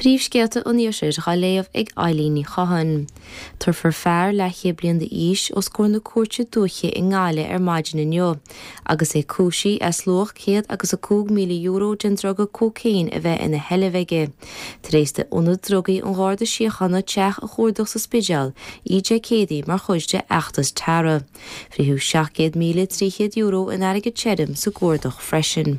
Príomhscéalta an Iarthair á léamh ag Eilín Ní Chatháin. Tabharfar fear leathchéad bliain d'aois os comhair na Cúirte Dúiche i nGaillimh ar maidin inniu agus é cúisithe as luach €105,000 den druga cócaon a bheith ina sheilbh aige, tar éis d'Ionad Drugaí an Gharda Síochána teach a chuardach sa Spidéal oíche Dé Céadaoin mar chuid de fheachtas Tara. Frítheadh €700,300 in airgead tirim sa gcuardach freisin.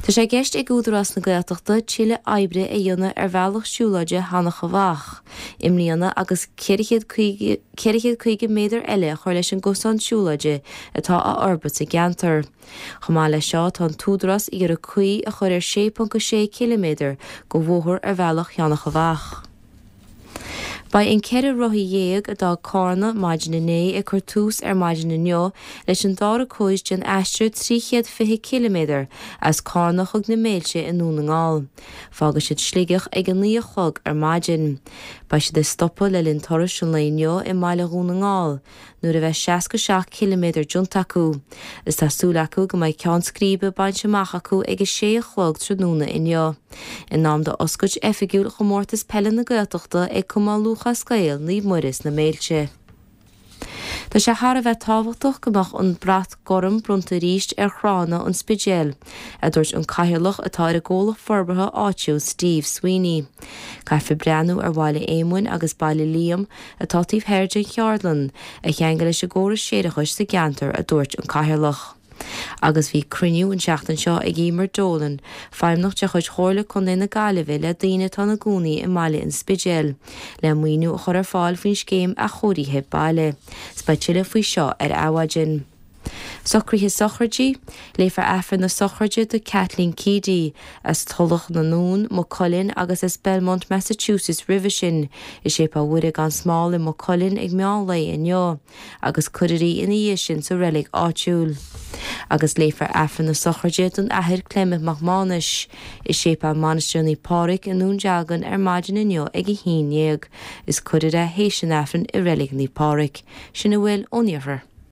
Tá sé i gceist ag Údarás na Gaeltachta tuilleadh oibre a dhéanamh ar bhealach siúlóide Sheanach Mhacha i mbliana agus 450 méadar eile a chur leis an gcosán siúlóide atá á fhorbairt sa gceantar. Chomh maith leis seo tá an tÚdarás ag iarraidh caoi a chur ar 6.6 ciliméadar de bhóthar ar bhealach Sheanach Mhacha. Beidh an 14 rothaí a d'fhág Cárna maidin inné ag cur tús ar maidin inniu leis an dara cuid den aistear 320 ciliméadar as Cárna chuig na Méilte i nDún na nGall. Fágfaidh siad Sligeach ag a 9 a chlog ar maidin. Beidh siad ag stopadh le linn turais an lae inniu i mbaile Dhún na nGall. nuair a bheidh 67 ciliméadar déanta acu, is tá súil acu go mbeidh ceann scríbe bainte amach acu ag a sé a chlog tráthnóna inniu, in am d'oscailt oifigiúil Chomórtas Peile na Gaeltachta ag Cumann Lúthchleas Gael Naomh Muire sna Méilte. Tá sé thar a bheith tábhachtach go mbeadh an brat gorm bronnta arís ar thránna an Spidéil, a dúirt an cathaoirleach atá ar an gcomhlacht forbartha áitiúil Steve Sweeney. Caithfear breathnú ar Bhaile Éamoinn agus Baile Liam atá taobh thoir den cheardlann, a cheangal leis an gcóras séarachais sa gceantar, a dúirt an Cathaoirleach. Agus bhí cruinniú an tseachtain seo ag Emer Dolan, feidhmeannach de chuid Chomhairle Contae na Gaillimhe le daoine atá ina gcónaí i mbaile an Spidéil, le maoiniú a chur ar fáil faoin scéim athchóirithe baile. 'S beidh tuilleadh faoi seo ar Adhmhaidin. Socruithe sochraide, Léifear Aifreann na sochraide do Kathleen Keady, as Tulach na nDún, Maigh Cuilinn agus as Belmont, Massachusetts roimhe sin, i Séipéal Mhuire gan Smál i Maigh Cuilinn ag meán lae inniu, agus cuirfear í ina dhiaidh sin sa reilig áitiúil. Agus léifear Aifreann na sochraide don Athair Clement Mac Mánais, i Séipéal Mainistir Naomh Pádraig i nDún Dealgan ar maidin inniu ag 11 is cuirfear é théis an Aifrinn i reilig Naomh Pádraig. Sin a bhfuil ón Iarthar.